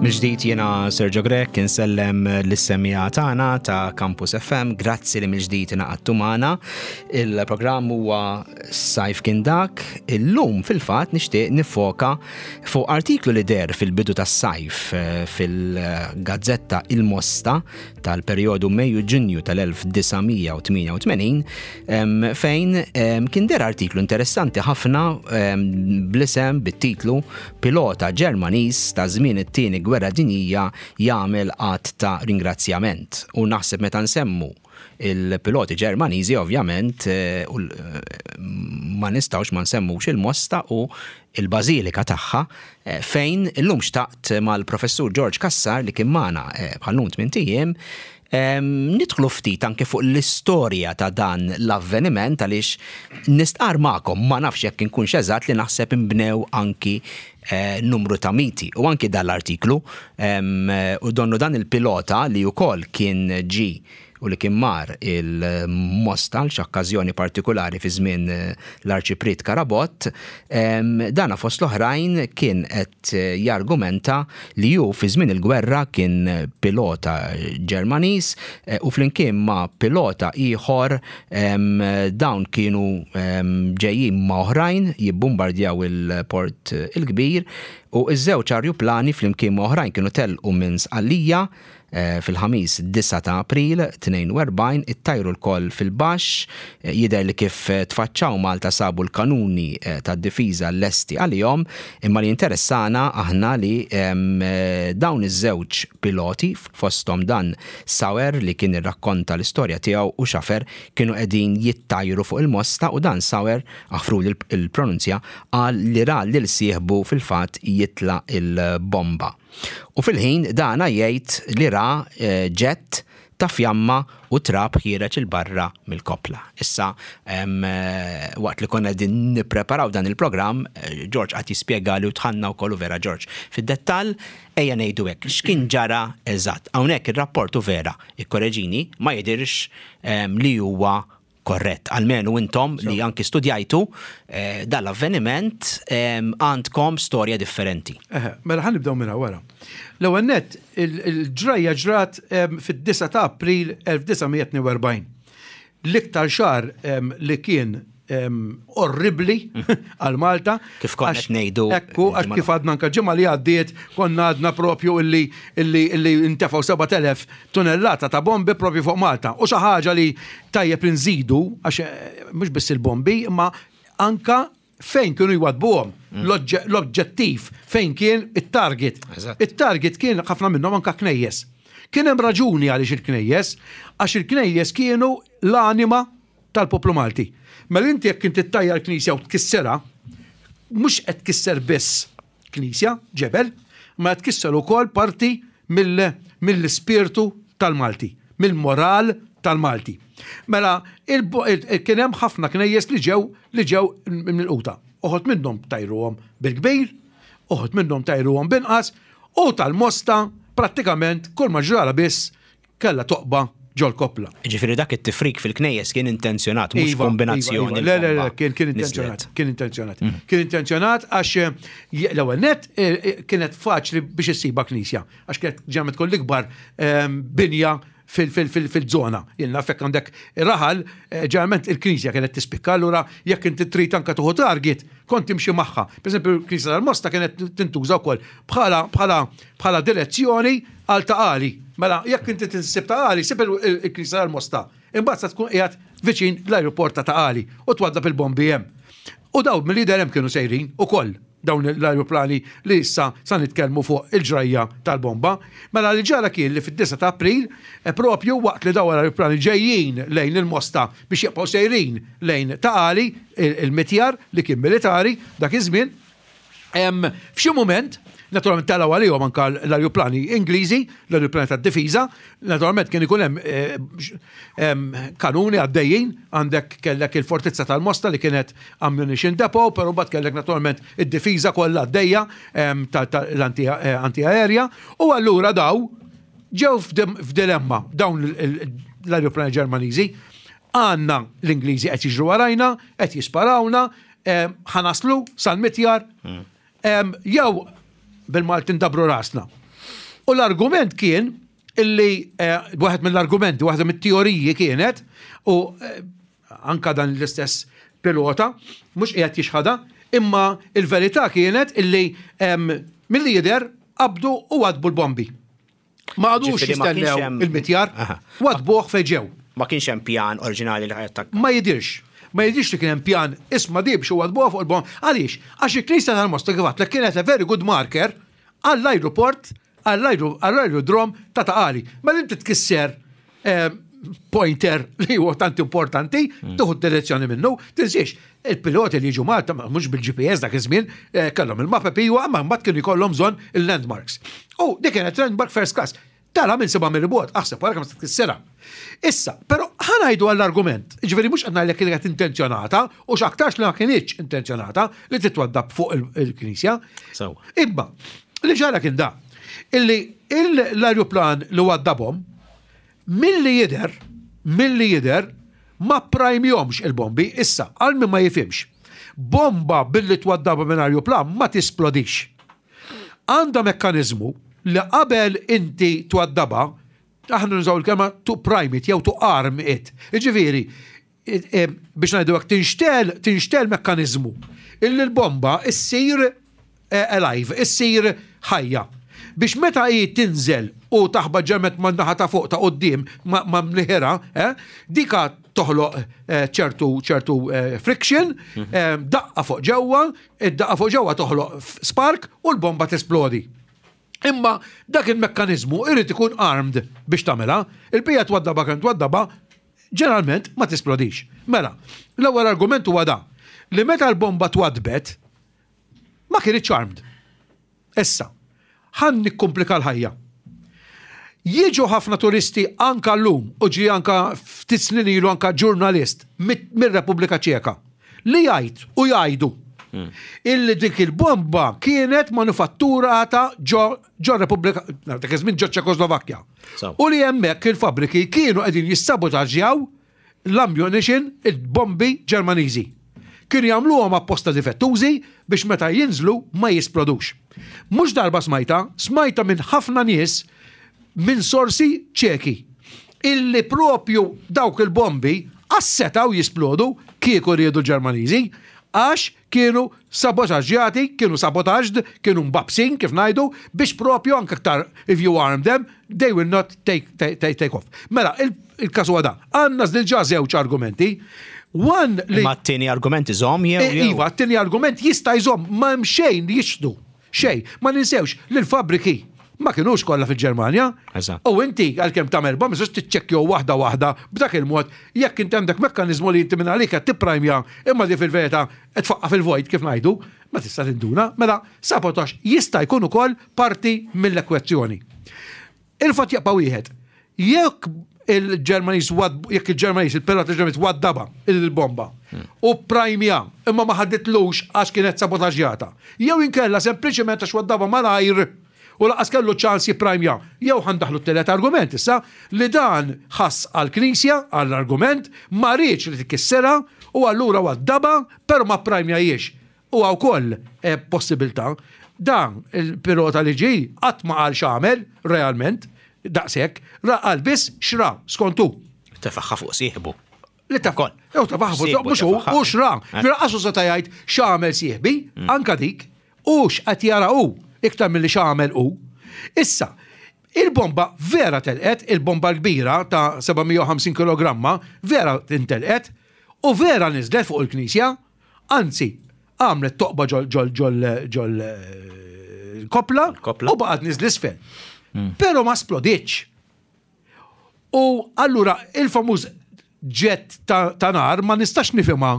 Mill-ġdid jiena Sergio Grech insellem lis-semmiegħa tagħna ta' Campus FM, grazzi li mill-ġdid ingħaqadtu magħna. Il-programm huwa Sajf kien dak, illum fil-fatt nixtieq nifoka fuq artiklu li der fil-bidu tas-sajf eh, fil-gazzetta Il-Mosta tal-perjodu Mejju-Ġunju tal-1988 fejn kien der artiklu interessanti ħafna bl-isem bit-titlu Pilota Ġermaniż ta' żmien it-Tieni Gwerra Dinjija jagħmel att ta' ringrazzjament. U naħseb meta nsemmu il-piloti Ġermaniżi ovvjament eh, eh, ma nistgħux ma nsemmux il-Mosta u il-bażilika tagħha eh, fejn illum xtaqt mal-professur George Cassar li kien magħna bħal-lum tmint ijiem Nidħlu ftit anke fuq l-istorja ta' dan l-avveniment għaliex nistqarr magħkom, ma nafx jekk inkunx eżatt li naħseb inbnew anki numru ta' miti. U anki dan l-artiklu u donnu dan il-pilota li wkoll kien ġie u li kien mar il-Mosta għal x'okkażjoni partikulari fi żmien l-Arċipriet Carabott, dana fost l-oħrajn kien qed jargumenta li hu fi żmien il-gwerra kien pilota Ġermaniż eh, u flimkien ma' pilota ieħor dawn kienu ġejjin ma' oħrajn jibbumbardjaw il-Port il-Kbir u ż-żewġ arjuplani flimkien ma' oħrajn kienu telqu minn Sqallija Fil-Ħamis 9 ta' April 42 ittajru lkoll fil-baxx, jidher li kif tfaċċaw Malta sabu l-kanuni tad-difiża lesti għalihom, imma li jinteressana aħna li dawn iż-żewġ piloti, fosthom dan Sauer li kien irrakkonta l-istorja tiegħu u Schaffer kienu qegħdin jittajru fuq il-Mosta u dan Sauer, aħfruli l-pronunzja, qal li ra lil sieħbu fil-fatt jitla' l-bomba. U fil-ħin dana jgħid li ra ġett ta' fjamma u trab ħiereġ 'il barra mill-koppla. Issa, waqt li konna qegħdin nippreparaw dan il-programm, George qagħad jispjegali u dħalna wkoll u vera George fid-dettall, ejja ngħidu hekk, x'kien ġara eżatt. Hawnhekk ir-rapport u vera, ikkoreġini, ma jidhirx li huwa Korrett, almenu intom li anki studjajtu eh, dal-avveniment għandkom storja differenti. Mela ħa nibdew minn wara. L-ewwel nett il-ġrajja ġrat fid-9 ta' April 1942. L-iktar xahar li kien orribli għal Malta. Kif konna qed ngħidu. Ekku, għax kif għadna anka ġimgħa li għaddiet konna għadna propju illi illi illi ntefgħu 7000 tunellata ta' bombi propju fuq Malta. U xi ħaġa li tajjeb li nżidu għax eh, mhux biss il-bombi, imma anka fejn kienu jwadbuhom mm. l-oġġettiv fejn kien it-target. It-target kien ħafna minnhom anka knejjes. Kien hemm raġuni għaliex il-knejjes, għax il-knejjes kienu l-anima tal-poplu Malti. Mela inti jekk inti ttajjar knisja u tkisserha, mhux qed tkisser biss knisja, ġebel, ma qed tkisser ukoll parti mill-ispirtu tal-Malti, mill-moral tal-Malti. Mela, kien hemm ħafna knejjes li ġew li ġew milquta. Uħud minnhom tajruhom bil-kbir, uħud minnhom tajruhom b'inqas, u tal-Mosta prattikament kull ma ġrala biss Kellha toqba ġol-koppla. Jiġifieri dak it-tifrik fil-knejjes kien intenzjonat, mhux iva, kombinazzjoni. Iva, iva. Le, le, le, kien kien intenzjonat, kien intenzjonat. Mm. Kien intenzjonat għax eh, l-ewwel net eh, eh, kienet faċli biex issiba knisja, għax kienet ġemet tkun l-ikbar ehm, binja fil-zona. Jien naf jekk għandek raħal, ġeneralment il-knisja kienet tispikka, allura jekk inti trid anka tuħu target, kont timxi magħha. Per eżempju, il-knisja tal-Mosta kienet tintuża wkoll bħala bħala bħala direzzjoni għal Ta' Qali. Mela, jekk inti tinsib Ta' Qali, sib il-Knisja tal-Mosta. Imbagħad sa tkun qiegħed viċin l-ajruport ta' Ta' Qali u twaddab il-bombi hemm. U dawn mill-lider hemm kienu sejrin ukoll dawn l-ajruplani li issa sa nitkellmu fuq il-ġrajja tal-bomba. Mela li ġara kien li fid-9 ta' April, eh, propju waqt li dawn l-ajruplani ġejjin lejn il-Mosta biex jibqgħu sejrin lejn Ta' Qali, il-mitjar li kien militari dak iż-żmien, F'xi mument, naturalment telgħu għalihom anka l-ajruplani Ingliżi, l-ajruplani tad-difiża, naturalment kien ikun hemm eh, kanuni għaddejjin, għandek kellek il-fortizza tal-Mosta li kienet ammunition depot, però mbagħad kellek naturalment id-difiża kollha għaddejja tal-anti-aerja, eh, u allura daw ġew f'dilemma dawn l-ajruplani Ġermaniżi. Għandna l-Ingliżi qed jiġru warajna, qed jisparawna, Ħa naslu sal-mitjar, jew bil-Malti ndabru rasna. U l-argument kien illi eh, waħed mill-argumenti, waħda mit-teoriji kienet, u eh, anka dan l-istess pilota, mhux qiegħed jixħadha, imma il-verità kienet illi milli jidher qabdu u waddbu l-bombi. Ma qagħdux jistennew il-mitjar, waddbuh fejn ġew. Ma kienx hemm pjan oriġinali li ħa jattakka. Ma jidhirx. Ma jidhirx li kien hemm pjan isma' di biex iwaddbuha fuq il-bomb. Għaliex? Għax il-knisja tal-Mosta kif għedtlek kienet a very good marker għall-ajruport, għall-ajrudrom ta' Ta' Qali. Mela inti tkisser pointer li huwa tant importanti, tieħu d-direzzjoni minnu, tinsiex, il-piloti li jiġu Malta mhux bil-GPS dak iż-żmien, eh, kellhom il-mapep iwa, imma mbagħad kienu jkollhom bżonn il-landmarks. U dik kienet landmark first class. Tara minn seba' mill-bogħod, aħseb wara kemm se tkissirha. Issa, però ħa ngħidu għall-argument, jiġifieri mhux qed ngħidlek li kienet intenzjonata u x'aktarx li ma kinitx intenzjonata li titwaddab fuq il-knisja. Sewwa. Imma li ġara kien da, illi l-ajruplan li waddabhom milli jidher, milli jidher ma pprajmjhomx il-bombi. Issa, għal min ma jifhimx, bomba billi twaddabha minn ajruplan ma tisplodix. Għandha mekkaniżmu li qabel inti twaddabha, aħna nużaw il-kelma to prime it jew to arm it. Jiġifieri, biex ngħidu hekk tinxtegħel, tinxtegħel mekkaniżmu illi l-bomba ssir alive, issir ħajja. Biex meta hi tinżel u taħbat ġemet man-naħa ta' fuq ta' quddiem ma' mniħirha, dika toħloq ċertu ċertu friction, daqqa fuq ġewwa, id-daqqa fuq ġewwa toħloq spark u l-bomba tisplodi. Imma dak il-mekkaniżmu irid ikun armed biex tagħmilha. Il-bija twaddabha kemm twaddabha, ġeneralment ma tisplodix. Mela, l-ewwel argument huwa da, li meta l-bomba twaddbet, ma kinitx armed. Issa, ħa nikkumplika l-ħajja. Jiġu ħafna turisti anka llum u ġie anka ftit snin ilu anka ġurnalist mir-Repubblika Ċeka li jgħid u jgħidu illi dik il-bomba kienet manufatturata ġo ġo Repubblika, dak iż-żmien ġo Ċekoslovakkja. U li hemmhekk il-fabbriki kienu qegħdin jissabotaġġjaw l-ammunition, il-bombi Ġermaniżi. Kienu jagħmluhom apposta difettużi biex meta jinżlu ma jisplodux. Mhux darba smajtha, smajtha minn ħafna nies minn sorsi Ċeki illi propju dawk il-bombi qas setgħu jisplodu kieku riedu l-Ġermaniżi għax kienu sabotaġġjati, kienu sabotaged, kienu mbabsin kif ngħidu, biex propju anke aktar if you arm them, they will not take, take, take off. Mela, il-każ huwa da. Għandna diġà żewġ argumenti. One li. Ma t-tieni argument iżomm jew. Eh, iva, t-tieni argument jista' jżomm ma hemm xejn li jixhdu. Xejn. Ma ninsewx li l-fabbriki ma kinux kollha fil-Ġermanja. U inti għalkemm tagħmel bomb tistax tiċċekkjaw waħda waħda b'dak il-mod jekk inti għandek mekkaniżmu li inti minn għalik qed tipprajmja imma di fil-verità qed tfaqqa' fil-vojt kif ngħidu, ma tista' tinduna. Mela sabotaġġ jista' jkun ukoll parti mill-ekwezzjoni. Il-fatt jibqa' wieħed. Jekk il-Ġermaniż jekk il-Ġermaniż, il-pilota Ġermaniż waddaba il-bomba u prajmja imma ma ħaditlux għax kienet sabotaġġjata. Jew inkella sempliċement għax waddaba malajr u lanqas kellu ċans jipprajmja. Jew ħa ndaħħlu t-tielet argument issa li dan ħass għall-Knisja, għall-argument, ma riedx li tikkisserha u allura waddabha però ma pprajmjahiex. Huwa wkoll possibilità. Dan il-pilota li ġie qatt ma qal x'għamel realment daqshekk, ra qal biss x'ra skont hu. Tefagħha fuq sieħbu. Li tef Jew tefagħha fuq mhux hu, hu x'ra. Ġifieri lanqas hu seta' jgħid x'għamel sieħbi, anke dik, hu x'qed jara hu iktar milli x'għamel hu. Issa, il-bomba vera telqet, il-bomba l-kbira ta' 750 kilogramma vera intelqet u vera niżlet fuq il-knisja. Anzi, għamlet toqba ġol ġol ġol ġol eh, kopla u baqgħet niżl isfel. Hmm. Però ma splodiċ. U allura il-famuż ġett ta' nar ma nistax nifhimha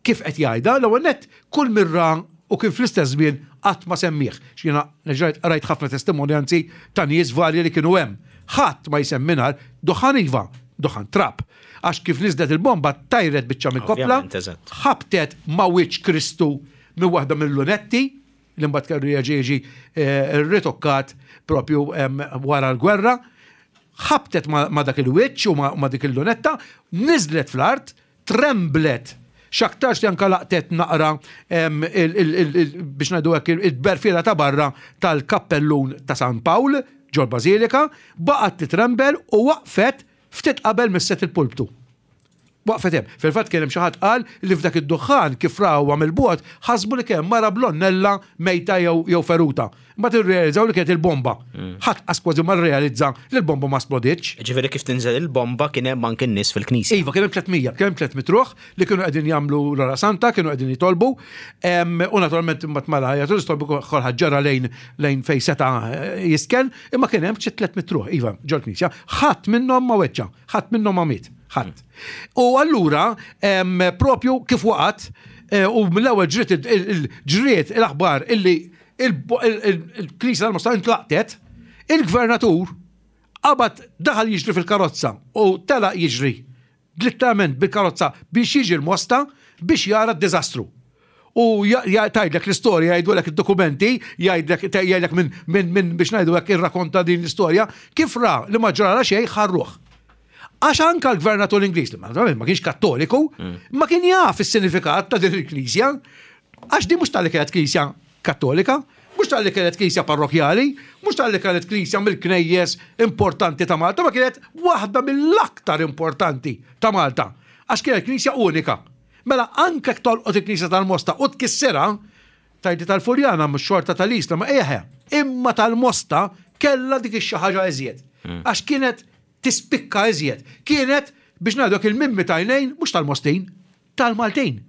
kif qed jgħidha, l-ewwel nett kull mirra u kien fl-istess żmien qatt ma semmih. X'jiena rajt ħafna testimonjanzi ta' nies varji li kienu hemm. Ħadd ma jsemmi nar, duħan iva, duħan trab. Għax kif niżlet il-bomba tajret biċċa mill-koppla, ħabtet ma' wiċċ Kristu minn waħda mill-lunetti, li mbagħad kellu jerġa' jiġi eh, ritokkat propju wara l-gwerra, ħabtet ma' dak il-wiċċ u ma' dik il-lunetta, niżlet fl-art, tremblet x'aktarx li anka laqtet naqra biex ngħidu hekk il-berfiela ta' barra tal-kappellun ta' San Pawl. ġol-bażilika, baqgħet titrembel u waqfet ftit qabel misset il-pulptu. Waqfet hemm. Fil-fatt kien hemm xi ħadd qal li f'dak id-duħħan kif rawha mill-bogħod ħasbu li kien hemm mara blonnella mejta jew jew feruta. Imbagħad irrealizzaw li kienet il-bomba. Ħadd qas kważi ma rrealizza li l-bomba ma splodietx. Jiġifieri kif tinżel il-bomba kien hemm anke n-nies fil-knisja. Iva, kien hemm 300, kien hemm 300 ruħ li kienu qegħdin jagħmlu l-Ora Santa, kienu qegħdin jitolbu. U naturalment imbagħad mela jagħtu jitolbu kulħadd ġara lejn lejn fejn seta' jistkenn, imma kien hemm xi 300 ruħ, iva, ġol-knisja. Ħadd minnhom ma weġġa'. Ħadd minnhom ma miet. Ħadd. U allura propju kif waqgħet eh, u mill-ewwel ġriet il-ġriet l-aħbar illi il-Knisja tal-Mosta intlaqtet, il-gvernatur qabad daħal jiġri fil-karozza u telaq jiġri letteralment bil-karozza biex jiġi l-Mosta biex jara d-diżastru. U tgħidlek l-istorja, jgħidulek id-dokumenti, jgħidlek jgħidlek minn min, min biex ngħidu hekk irrakonta din l-istorja, kif ra li ma ġrala xejn ħarruh. Għax anka l-gvernatur Ingliż, li ma kienx kattoliku, ma kien jaf is-sinifikat ta' din il-knisja, għax din mhux tal-li kienet knisja kattolika, mhux tal-li kienet knisja parrokjali, mhux tal-li kienet knisja mill-knejjes importanti ta' Malta, ma kienet waħda mill-aktar importanti ta' Malta, għax kienet knisja unika. Mela anke jekk tolqot il-knisja tal-Mosta u tkissirha, tgħidli tal-Furjana mhux xorta tal-Isla, ma eħe, imma tal-Mosta kellha dik ix-xi ħaġa iżjed. Għax kienet tispikka iżjed. Kienet biex ngħidu hekk il-mimmi t'għajnejn mhux tal-Mostin, tal-Maltin.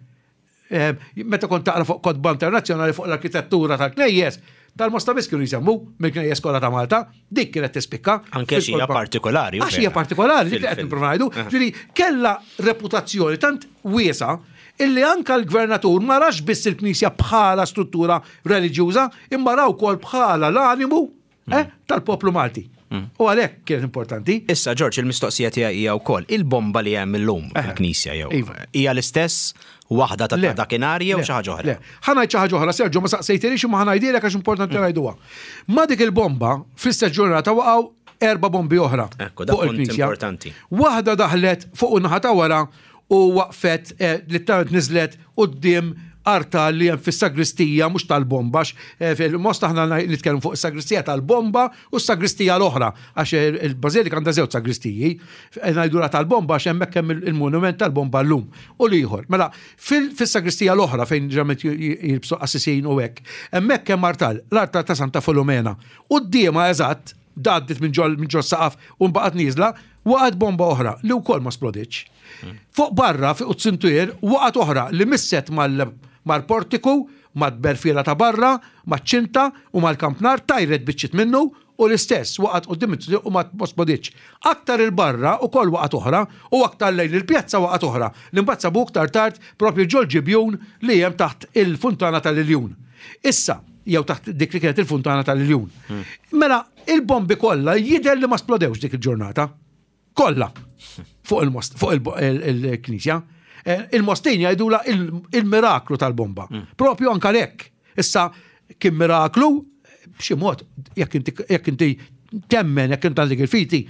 Meta kont taqra fuq kotba internazzjonali fuq l-arkitettura tal-knejjes, tal-Mosta biss kienu jsemmu mill-knejjes kollha ta' Malta, dik kienet tispikka. Anke xi hija partikolari. Għax hija partikolari, dik li qed nipprova ngħidu. Ġifieri kellha reputazzjoni tant wiesgħa illi anke l-gvernatur ma rax biss il-knisja bħala struttura reliġjuża, imma ra wkoll bħala l-animu eh, tal-poplu Malti. U għalhekk kienet importanti. Issa, Ġorġ, il-mistoqsija tiegħi hija wkoll, il-bomba li hemm illum fil-knisja jew iva. hija l-istess waħda ta' dakinhar jew xi ħaġa oħra? Le, ħa ngħid xi ħaġa oħra, Sergio, ma saqsejtilix imma ħa ngħidilek għax importanti mm. ngħiduha. Ma dik il-bomba fl-istess ġurnata waqgħu erba' bombi oħra. Ekku, dak punt importanti. Waħda daħlet fuq in-naħa ta' wara u waqfet eh, li tant niżlet quddiem artal li hemm fis-sagristija mhux tal-bomba għax eh, fil-most aħna nitkellmu fuq is-sagristija tal-bomba u s-sagristija l-oħra għax il-bażilika għandha żewġ sagristiji eh, ngħidulha tal-bomba għax hemmhekk hemm il-monument tal-bomba llum u l-ieħor. Mela fis-sagristija l-oħra fejn ġeneralment jilbsu qassisin u hekk, hemmhekk hemm artal, l-artal ta' Santa Filomena. Quddiemha eżatt għaddiet minn ġol minn ġol saqaf u mbaqgħet nieżla, waqgħet bomba oħra li wkoll ma splodietx. Fuq barra fuq it-sintier waqgħet oħra li misset mal-portiku, mat-tberfiela ta' barra, maċ-ċinta u mal-kampnar, tajret biċċiet minnu u l-istess waqgħet quddiem it-triq u ma splodietx. Aktar 'il barra wkoll waqgħet oħra u aktar lejn il-pjazza waqgħet oħra li mbagħad sabu iktar tard proprju ġol-ġibjun li hemm taħt il-funtana tal-Iljun. Issa, jew taħt dik li kienet il-funtana tal-Iljun. Mela, il-bombi kollha jidher li ma splodewx dik il-ġurnata. Kollha fuq il-most, fuq il-knisja. Eh, il-Mostin jgħidula il-miraklu tal-bomba. Mm. Propju anka lek. Issa kien miraklu b'xi mod jekk inti temmen jekk inti għandek il-fiti,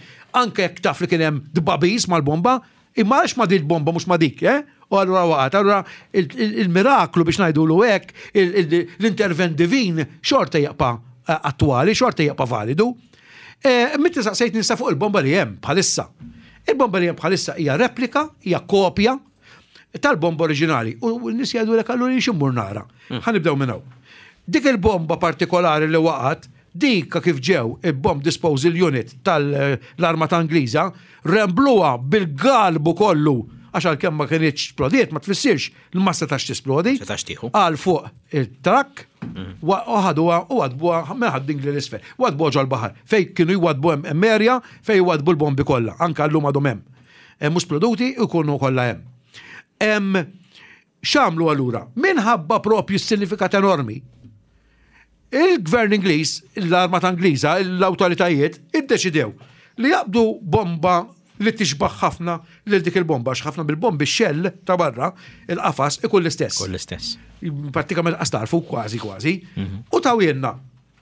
anke jekk taf li kien hemm dbabis mal-bomba, Imma għaliex ma dik bomba mhux ma dik, eh? U allura waqgħet. Allura il-miraklu biex ngħidulu hekk, l-intervent divin xorta jibqa' eh, attwali, xorta jibqa' validu. Eh, Mitti saqsejt nista fuq il-bomba li hemm bħalissa. Il-bomba li hemm bħalissa hija replika, hija kopja tal-bomba oriġinali. U n-nies jgħidulek allura jien x'immur nara. Hmm. Ħa nibdew minn hawn. Dik il-bomba partikolari li waqgħet Dik kif ġew il-Bomb Disposal Unit tal-Armata Ingliża, rembluha bil-galbu kollu għax għalkemm ma kinitx splodiet ma tfissirx li ma setax tisplodi. Setax tieħu. Għal fuq it-trakk u ħaduha u wadbuha minn Ħad-Dingli 'l isfel. Wadbuha ġol-baħar fejn kienu jwadbu hemm area fejn jwadbu l-bombi kollha, anke llum għadhom hemm. Mhux sploduti jkunu kollha hemm. X'għamlu allura? Minħabba propju s-sinifikat enormi, il-gvern Ingliż, l-armata Ingliża, l-awtoritajiet iddeċidew li jaqbdu bomba li tixbaħ ħafna lil dik il-bomba, għax ħafna mill-bombi xell ta' barra, il-qafas ikun l-istess. Ikun l-istess. Prattikament qas tarfu kważi kważi. Mhm. U tawjenna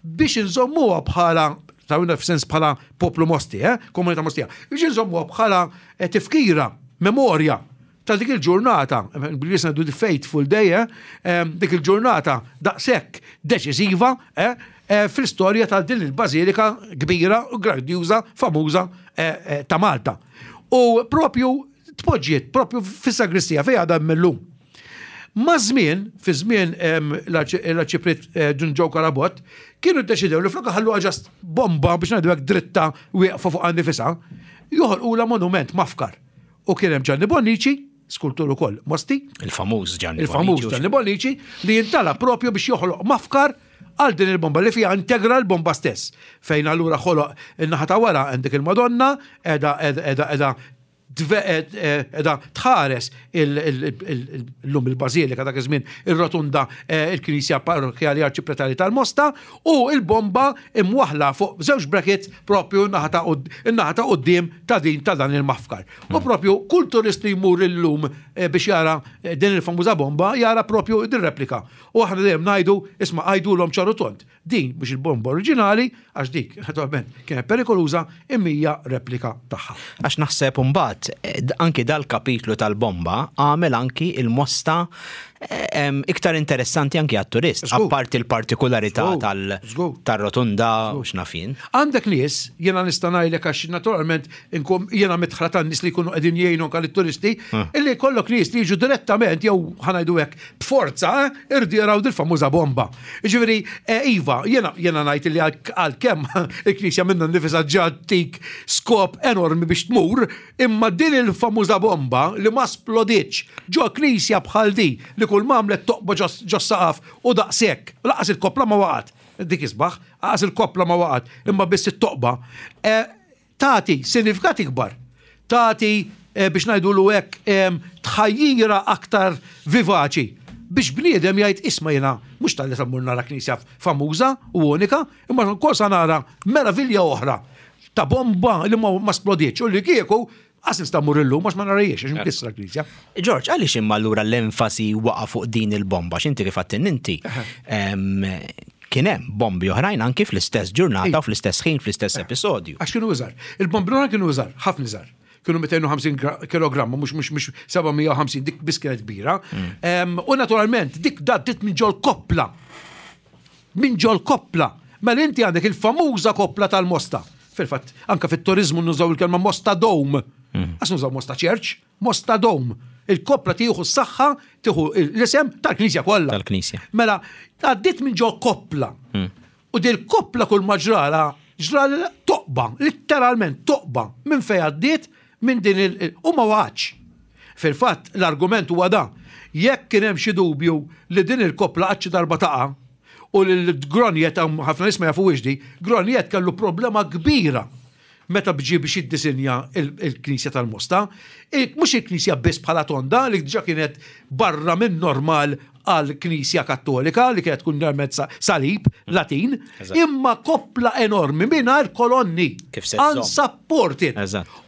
biex inżommuha bħala tawjenna f'sens bħala poplu Mosti, eh? komunità Mostija, biex inżommuha bħala eh, tifkira, memorja. ta' dik il-ġurnata, bl-Ingliż ngħidu the fateful day, eh, dik il-ġurnata daqshekk deċiżiva eh, eh, fl-istorja ta' din il-bażilika kbira u grandjuża, famuża eh, ta' Malta. U propju tpoġġiet propju fis-sagristija fejn għadha millum. Ma' żmien, fi żmien l-Arċipriet Dun Joe Carabott, kienu ddeċidew li flok ħalluha ġast bomba biex ngħidu hekk dritta wieqfa fuq nifisha, joħolqulha monument mafkar. U kien hemm Gianni Bonnici, skultur ukoll Mosti. Il-famuż Gianni Il-famuż Gianni Bonnici li jintala propju biex joħloq mafkar għal din il-bomba li fija integra l-bomba stess. Fejn allura ħoloq in-naħa ta' wara għandek il-Madonna, edha edha edha edha tħares illum il-Bażilika dak iż-żmien ir-Rotunda il-Knisja Parrokkjali Arċipretali tal-Mosta u l-bomba imwaħħla fuq żewġ brackets propju n-naħa ta' quddiem ta' din ta' dan il-mafkar. U propju kull turist li jmur illum biex jara din il-famuża bomba jara propju din replika. U aħna dejjem ngħidu isma' għidulhom ċar u tond. Din mhux il-bomba oriġinali, għax dik, naturalment, kienet perikoluża, imma hija replika tagħha. Għax naħseb imbagħad anki dal-kapitlu tal-bomba għamel anki il-Mosta iktar interessanti anki għat-turist, apparti l-partikularità tar-rotunda u x'naf jien. Għandek nies, jiena nista' ngħidlek għax naturalment inkun jiena midħla tan-nies li jkunu qegħdin jgħinu anke lit-turisti, illi jkollok nies li jiġu direttament jew ħa ngħidu hekk b'forza irdu jaraw dil-famuża bomba. Jiġifieri, iva, jiena jiena ngħid li għalkemm il-Knisja minnha nnifisha ġa ttik skop enormi biex tmur, imma din il-famuża bomba li ma splodietx ġo knisja bħal di li kull ma għamlet toqba ġos-saqaf u daqshekk, lanqas il-koppla ma waqgħet, dik isbaħ, lanqas il-koppla ma waqgħet, imma biss it-toqba, tagħti sinifikat ikbar, tagħti biex ngħidulu hekk tħajjira aktar vivaċi biex bniedem jgħid isma' jiena mhux talli se mmur nara knisja famuża u unika, imma wkoll sa nara meravilja oħra ta' bomba li ma splodietx u li kieku qas nista' mmur illum għax ma narahiex għax mkissra l-knisja. Ġorġ, għaliex imma allura l-enfasi waqa' fuq din il-bomba? X'inti kif għedtilna inti kien hemm bombi oħrajn anki fl-istess ġurnata u fl-istess ħin, fl-istess episodju. Għax kienu iżgħar. Il-bombi l-oħrajn kienu iżgħar, ħafna iżgħar. Kienu 250 kilogramma, mhux mhux mhux 750, dik biss kienet kbira. U naturalment dik għaddiet minn ġol koppla. Minn ġol koppla. Mela inti għandek il-famuża koppla tal-Mosta. Fil-fatt, anka fit-turizmu nużaw il-kelma Mosta Dome. Għax nużaw Mosta Church, Mosta Dome. Il-koppla tieħu s-saħħa, tieħu l-isem tal-knisja kollha. Tal-knisja. Mela, għaddiet minn ġo koppla. U dil koppla kull ma ġrala, ġrala toqba, letteralment toqba, minn fejn għaddiet minn din il- u ma waqgħatx. Fil-fatt, l-argument huwa da. Jekk kien hemm xi dubju li din il-koppla qatt xi darba taqa' u li l-Groniet, ħafna nies ma jafuhiex di, Groniet kellu problema kbira meta ġie biex jiddisinja l-knisja tal-Mosta, mhux il-knisja biss bħala tonda li diġà kienet barra minn normal għal knisja kattolika li kienet tkun normalment salib Latin, imma koppla enormi mingħajr kolonni. Unsupported.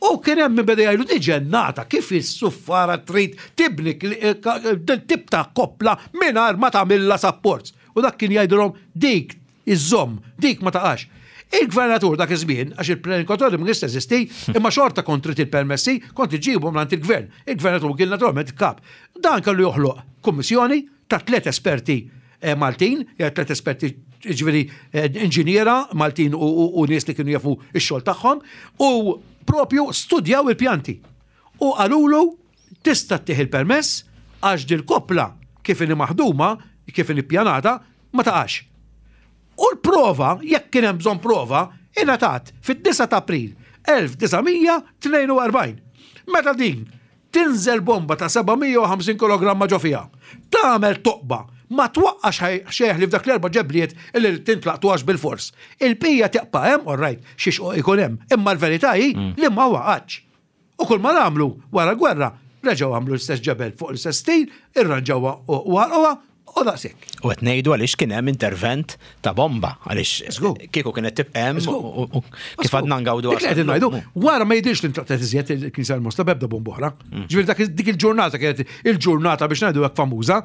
U kien hemm min beda jgħidu di ġennata kif is-suffara trid tibni tip ta' koppla mingħajr ma tagħmilha supports. U dak kien jgħidilhom dik Iżżomm, dik ma taqax. Il-gvernatur dak iż-żmien, għax il-planning authority ma kienx teżisti, imma xorta kont trid il-permessi, kont iġġibhom mingħand il-gvern. Il-gvernatur kien naturalment il-kap. Dan kellu joħloq kummissjoni ta' tliet esperti eh, Maltin, jew tliet esperti ġifieri eh, inġiniera Maltin u nies li kienu jafu x-xogħol tagħhom, u propju studjaw il-pjanti. U qalulu tista' ttih il-permess għax dil-koppla kif inhi maħduma, kif inhi ppjanata, ma taqax. U l-prova, jekk kien hemm bżonn prova, ingħatat fid-9 ta' April 1942. Meta din tinżel bomba ta' 750 kilogramma ġo fiha, tagħmel toqba, ma twaqqax xejn ħlief dak l-erba' ġebliet li tintlaqtu għax bilfors. Il-bqija tibqa' hemm, all right, xi xquq ikun hemm, imma l-verità hi li ma waqgħetx. U kull ma għamlu wara l-gwerra, reġgħu għamlu l-istess ġebel fuq l-istess stil, irranġawha u għalquha u daqshekk. U qed ngħidu għaliex kien hemm intervent ta' bomba, għaliex kieku kienet tibqa' hemm u kif għadna ngawdu. Dik qed ngħidu, wara ma jidhirx li ntlaqtet iżjed il-Knisja l-Mosta b'ebda bomba oħra. Mm. Ġifieri dak dik il-ġurnata kienet il-ġurnata biex ngħidu hekk famuża,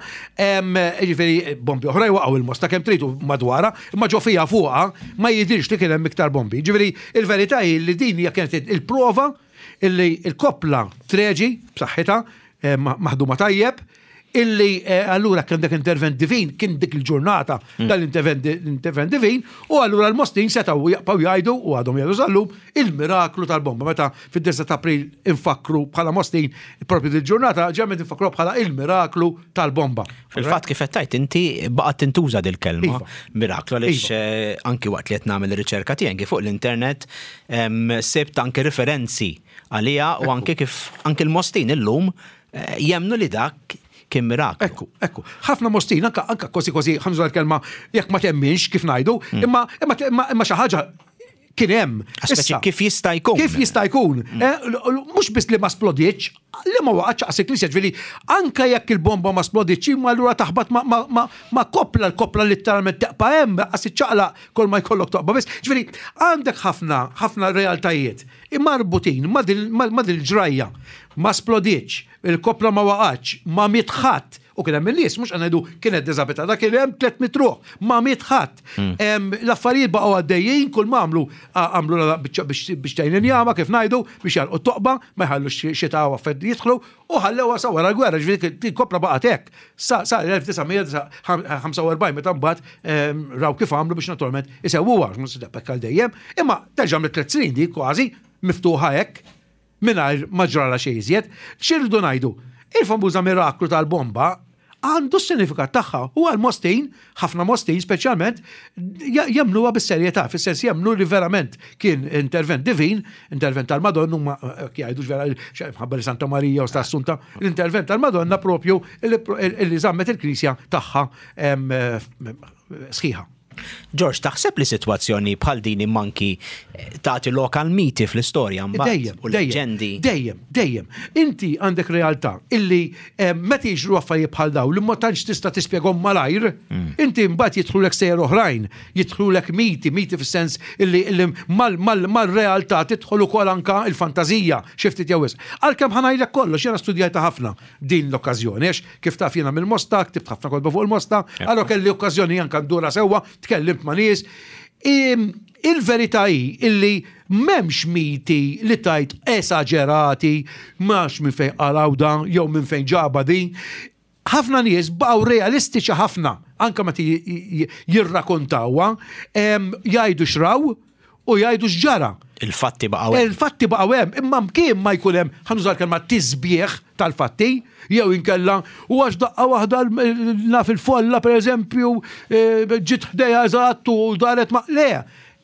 ġifieri bombi oħra jwaqgħu il-Mosta kemm tridu madwarha, imma ġo fiha fuqha ma jidhirx li kien hemm iktar bombi. Ġifieri il-verità hi li din hija kienet il-prova illi l-koppla treġi b'saħħitha. maħduma tajjeb, illi eh, allura kien dak intervent divin, kien dik il-ġurnata hmm. dal-intervent divin, u allura l-Mostin setaw jaqpaw jgħidu u għadhom jgħidu sallum il-miraklu tal-bomba. Meta fid-9 ta' April infakru bħala Mostin propju dil-ġurnata, ġemmet infakru bħala il-miraklu tal-bomba. Fil-fatt kif qed tgħid inti baqgħet tintuża dil-kelma iva. miraklu għaliex iva. Eh, anki waqt li qed nagħmel ir-riċerka tiegħi fuq l-internet sibt anki referenzi għaliha u anki kif anki l-Mostin illum eh, jemnu li dak kien miraklu. Ekku, ekku. Ħafna Mostin, anka anka kważi kważi ħanżu l-kelma jekk ma temminx kif ngħidu, hmm. imma imma imma xi ħaġa kien hemm. Issa, kif jista' jkun? Kif jista' jkun? Mm. Eh, mhux biss li ma splodietx, li ma waqgħetx qas il-knisja, ġifieri anke jekk il-bomba ma splodietx, imma allura taħbat ma koppla l-koppla litteralment teqpa' hemm, qas iċċaqlaq kull ma jkollok toqba biss. Ġifieri għandek ħafna ħafna realtajiet marbutin ma din il-ġrajja. Ma splodietx, il-koppla ma waqgħetx, ma miet ħadd. U kien hemm in-nies, mhux qed ngħidu kienet diżabilità, dak kien hemm 300 ruħ, ma miet ħadd. Hmm. L-affarijiet baqgħu għaddejjin, kull ma għamlu għamlu biċċa biex tgħin injama kif ngħidu biex jalqu toqba, ma jħallux xita u affarijiet jidħlu u ħallewha sa wara l-gwerra, ġifieri kopla baqgħet hekk. Sa l-1945 meta mbagħad raw kif għamlu biex naturalment isewwuha, mhux se għal dejjem, imma terġa' għamlet tliet snin di kważi miftuħa hekk mingħajr ma ġralha xejn iżjed. X'irridu ngħidu? Il-famuża miraklu tal-bomba għandu s-sinifikat tagħha u għal Mostin, ħafna Mostin speċjalment, jemmnuha bis-serjetà, fis-sens jemmnu li verament kien intervent divin, intervent tal-Madonna, huma eh, jgħidu vera mħabba li Santa Marija u Assunta, l-intervent tal-Madonna propju li żammet il-Knisja tagħha eh, sħiħa. George, taħseb li sitwazzjoni bħal din imma anki eh, tagħti lok għal miti fl-istorja mbagħad Dejjem, u leġendi. Dejjem, dejjem. Inti għandek realtà illi eh, meta jiġru affarijiet bħal daw li ma tantx tista' tispjegahom malajr, mm. inti mbagħad jidħlulek sejjer oħrajn, jidħlulek miti, miti fis-sens illi, illi mal-realtà tidħol ukoll anka il-fantażija xi ftit jew wisq. Għalkemm ħa ngħidlek kollox, jiena studjajta ħafna din l-okkażjoni, għax kif taf jiena mill-Mosta, ktibt ħafna kotba fuq il-Mosta, allora kelli okkażjoni anka ndura sewwa, tkellimt ma' nies. Il-verità hi illi m'hemmx miti li tajt esaġerati, max minn fejn qalgħu dan jew minn fejn ġaba din. Ħafna nies baqgħu realistiċi ħafna, anka meta jirrakontawha, jgħidu x'raw u jgħidu x'ġara. Il-fatti baqgħu hemm. Il-fatti baqgħu hemm, imma mkien ma jkun hemm, ħa nuża l-kelma tisbieħ tal-fatti, jew inkella u għax daqqa waħda naf il-folla pereżempju eh, ġiet ħdejha eżatt u daret ma' le.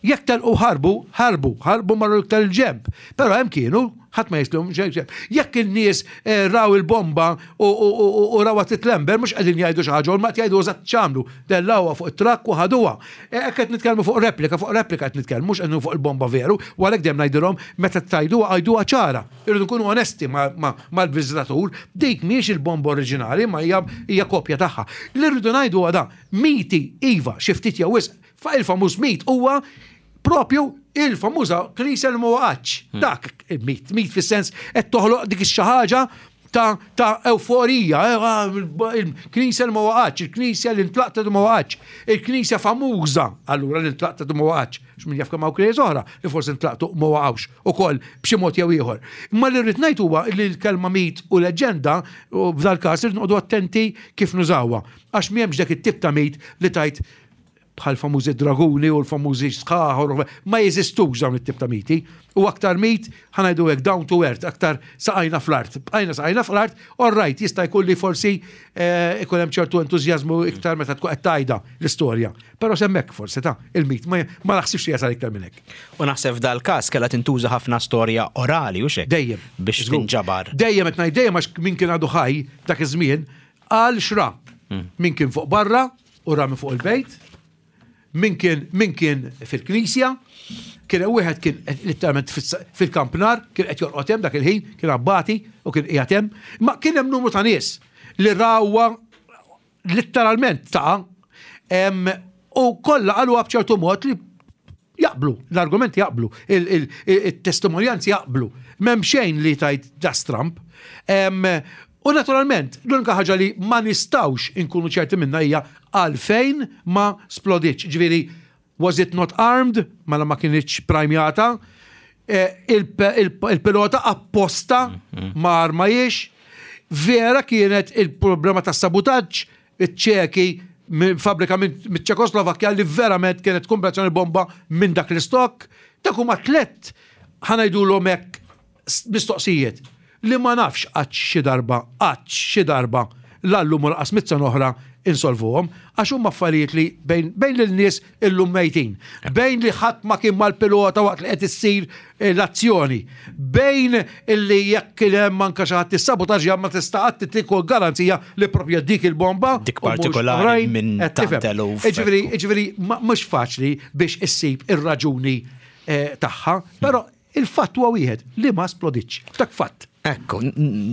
Jekk telqu ħarbu, ħarbu, ħarbu marru iktar il-ġemp. Però hemm kienu, ħadd ma jislhom xejn. Jekk in-nies eh, raw il-bomba u rawha titlember, mhux qegħdin jgħidu xi ħaġa, ma qed jgħidu eżatt x'għamlu. Dellawha fuq it-trakk u ħaduha. Eh, hekk qed nitkellmu fuq replika, fuq replika qed nitkellmu, mhux qed fuq il-bomba veru, u għalhekk dejjem ngħidilhom meta tgħiduha għiduha ċara. Irridu nkunu onesti mal-viżitatur, dik mhijiex il-bomba oriġinali, ma hija kopja tagħha. Li rridu ngħidu huwa dan, miti iva, xi ftit jew wisq, il-famuż mit huwa propju il-famuża knisja li ma waqgħetx. Hmm. Dak mit, mit fis-sens qed toħloq dik ix ħaġa ta', ta euforija, eh, ah, il-knisja li ma waqgħetx, il-knisja li ntlaqtet ma waqgħetx, il-knisja famuża allura li ntlaqtet ma waqgħetx, x'min jaf kemm hawn knejjes oħra li forsi ntlaqtu ma waqgħux ukoll b'xi mod jew ieħor. Imma li rrid ngħid huwa li l-kelma mit u leġġenda u f'dal każ irid noqogħdu attenti kif nużawha għax m'hemmx dak it-tip ta' mit li tajt bħal famużi draguni u l-famużi sħaħ, ma jeżistux dawn it-tip ta' miti. U aktar mit, ħa ngħidu hekk down to earth, aktar saqajna fl-art. Bqajna saqajna fl-art, all right, jista' jkun li forsi eh, ikun hemm ċertu entużjażmu iktar meta tkun qed tgħidha l-istorja. Però s'hemmhekk forsi ta' il-mit ma naħsibx li jasal iktar minn hekk. U naħseb f'dal każ kellha tintuża ħafna storja orali u xek. Dejjem. Biex tinġabar. Dejjem qed ngħid dejjem għax min kien għadu ħaj dak iż-żmien qal xra. Hmm. Min kien fuq barra u ra minn fuq il-bejt, min kien min kien fil-knisja, kien hemm wieħed kien letteralment fil-kampnar, kien qed jorqod hemm dak il-ħin, kien abbati u kien qiegħed hemm, ma kien hemm numru ta' nies li rawha letteralment ta' u kollha qaluha b'ċertu mod li jaqblu, l-argumenti jaqblu, il-testimonjanzi jaqblu. M'hemm xejn li tajt da stramp. U naturalment, l-unika ħaġa li ma nistgħux inkunu ċerti minna hija għalfejn ma splodietx. Ġifieri, was it not armed? Mela ma kinitx prajmjata. Eh, il-pilota apposta ma armajiex. vera kienet il-problema ta' sabutaġġ iċ-Ċeki minn fabbrika miċ-Ċekoslovakkja li verament kienet kombinazzjoni bomba minn dak l-istokk. Dak huma tlett ħa ngħidulhom hekk mistoqsijiet li ma nafx qattx xi darba, qattx xi darba la llum u lanqas mitt sena oħra insolvuhom, għax huma affarijiet li bejn bejn lil nies illum mejtin, bejn li ħadd ma kien mal-pilota waqt li qed issir eh, l-azzjoni, bejn illi jekk kien hemm anke xi ħadd issabotaġġja ma tista' qatt tieħu garanzija li propja dik il-bomba dik partikolari minn tant eluf. Jiġifieri, jiġifieri mhux faċli biex issib ir-raġuni eh, tagħha, però Il-fatt huwa wieħed, li ma sploditx. Dak fatt. Ekku,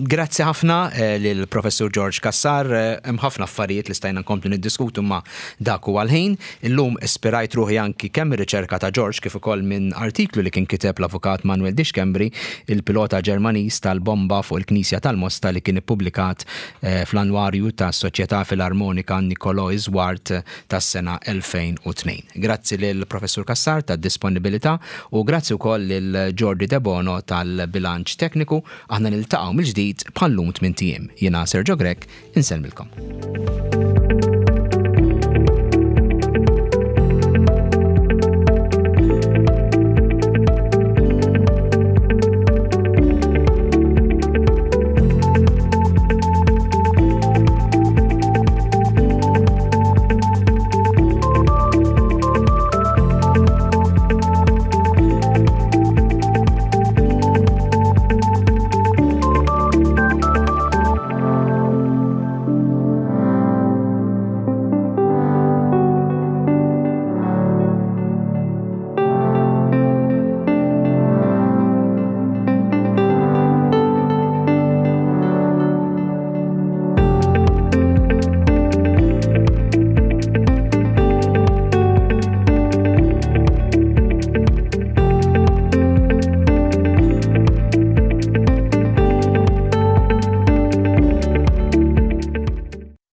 grazzi ħafna eh, lil Professur George Cassar, eh, hemm ħafna affarijiet li stajna nkomplu niddiskutu ma dak huwa l-ħin. Illum ispirajt ruħi anki kemm ir-riċerka ta' George kif ukoll minn artiklu li kien kiteb l-Avukat Manuel Di Schembri, il-pilota Ġermaniż tal-bomba fuq il-Knisja tal-Mosta li kien ippubblikat eh, fl-Annwarju tas-Soċjetà Filarmonika Niccolò Iswart tas-sena 2002. Grazzi lil Professur Cassar tad-disponibilità u grazzi wkoll lil Jordi Debono tal-bilanċ tekniku. Aħna niltaqgħu mill-ġdid bħal-lum tmint ijiem. Jiena Sergio Grech, insellmilkom.